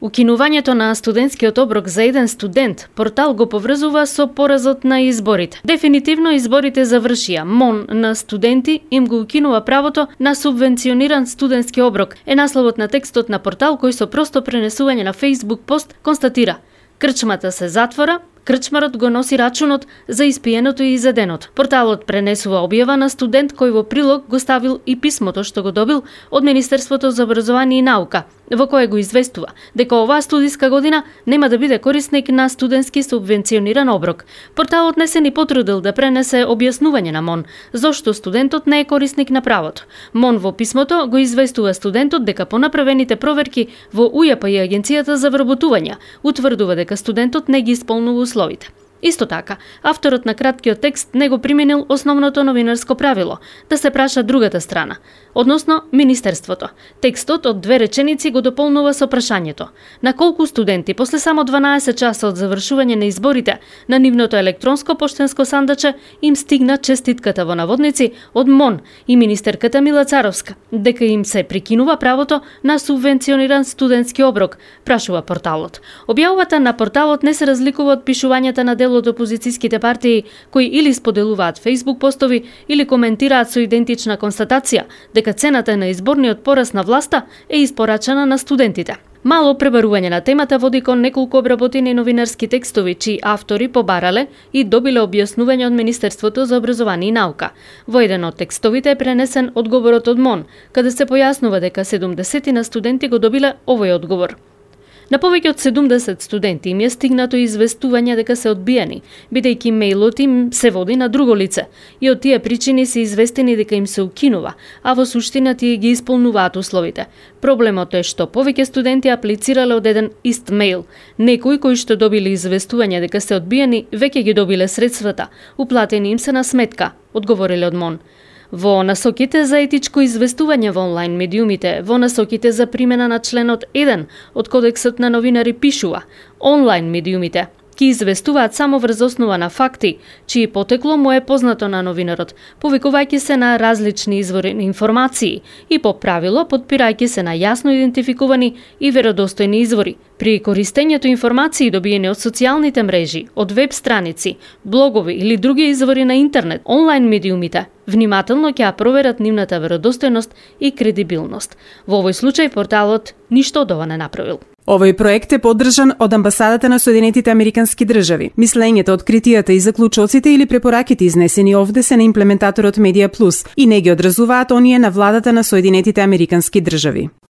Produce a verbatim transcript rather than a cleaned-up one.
Укинувањето на студентскиот оброк за еден студент, портал го поврзува со поразот на изборите. Дефинитивно изборите завршија. МОН на студенти им го укинува правото на субвенциониран студентски оброк. Е насловот на текстот на портал кој со просто пренесување на Facebook пост констатира: крчмата се затвора, крчмарот го носи рачунот за испиеното и изеденото. Порталот пренесува објава на студент кој во прилог го ставил и писмото што го добил од Министерството за образование и наука, во кое го известува дека оваа студиска година нема да биде корисник на студентски субвенциониран оброк. Порталот не се ни потрудил да пренесе објаснување на МОН зошто студентот не е корисник на правото. МОН во писмото го известува студентот дека по направените проверки во УЈП и Агенцијата за вработување утврдува дека студентот не ги исполнува условите. Исто така, авторот на краткиот текст не го применил основното новинарско правило – да се праша другата страна, односно Министерството. Текстот од две реченици го дополнува со прашањето: на колку студенти после само дванаесет часа од завршување на изборите на нивното електронско поштенско сандаче им стигна честитката во наводници од МОН и министерката Мила Царовска дека им се прикинува правото на субвенциониран студентски оброк, прашува порталот. Објавата на порталот не се разликува од пишувањата на дел од опозицијските партии кои или споделуваат Facebook постови или коментираат со идентична констатација дека цената на изборниот пораз на власта е испорачана на студентите. Мало пребарување на темата води кон неколку обработени новинарски текстови чии автори побарале и добиле објаснување од Министерството за образование и наука. Во еден од текстовите е пренесен одговорот од МОН, каде се појаснува дека седумдесет на студенти го добиле овој одговор. На повеќе од седумдесет студенти им е стигнато известување дека се одбиени, бидејќи мејлот им се води на друго лице и од тие причини се известени дека им се укинува, а во суштина тие ги исполнуваат условите. Проблемот е што повеќе студенти аплицирале од еден ист мејл. Некои кои што добиле известување дека се одбиени, веќе ги добиле средствата, уплатени им се на сметка, одговориле од МОН. Во насоките за етичко известување во онлайн медиумите, во насоките за примена на членот еден од Кодексот на новинари пишува: онлайн медиумите ки известуваат само врз основа на факти, чии потекло му е познато на новинарот, повикувајќи се на различни извори на информации и по правило потпирајќи се на јасно идентификувани и веродостојни извори. При користењето информации добиени од социјалните мрежи, од веб страници, блогови или други извори на интернет, онлайн медиумите внимателно ќе ја проверат нивната веродостојност и кредибилност. Во овој случај порталот ништо од ова не направил. Овој проект е поддржан од Амбасадата на Соединетите Американски држави. Мислењето, откритијата и заклучоците или препораките изнесени овде се на имплементаторот Медија Плюс и не ги одразуваат оние на владата на Соединетите Американски држави.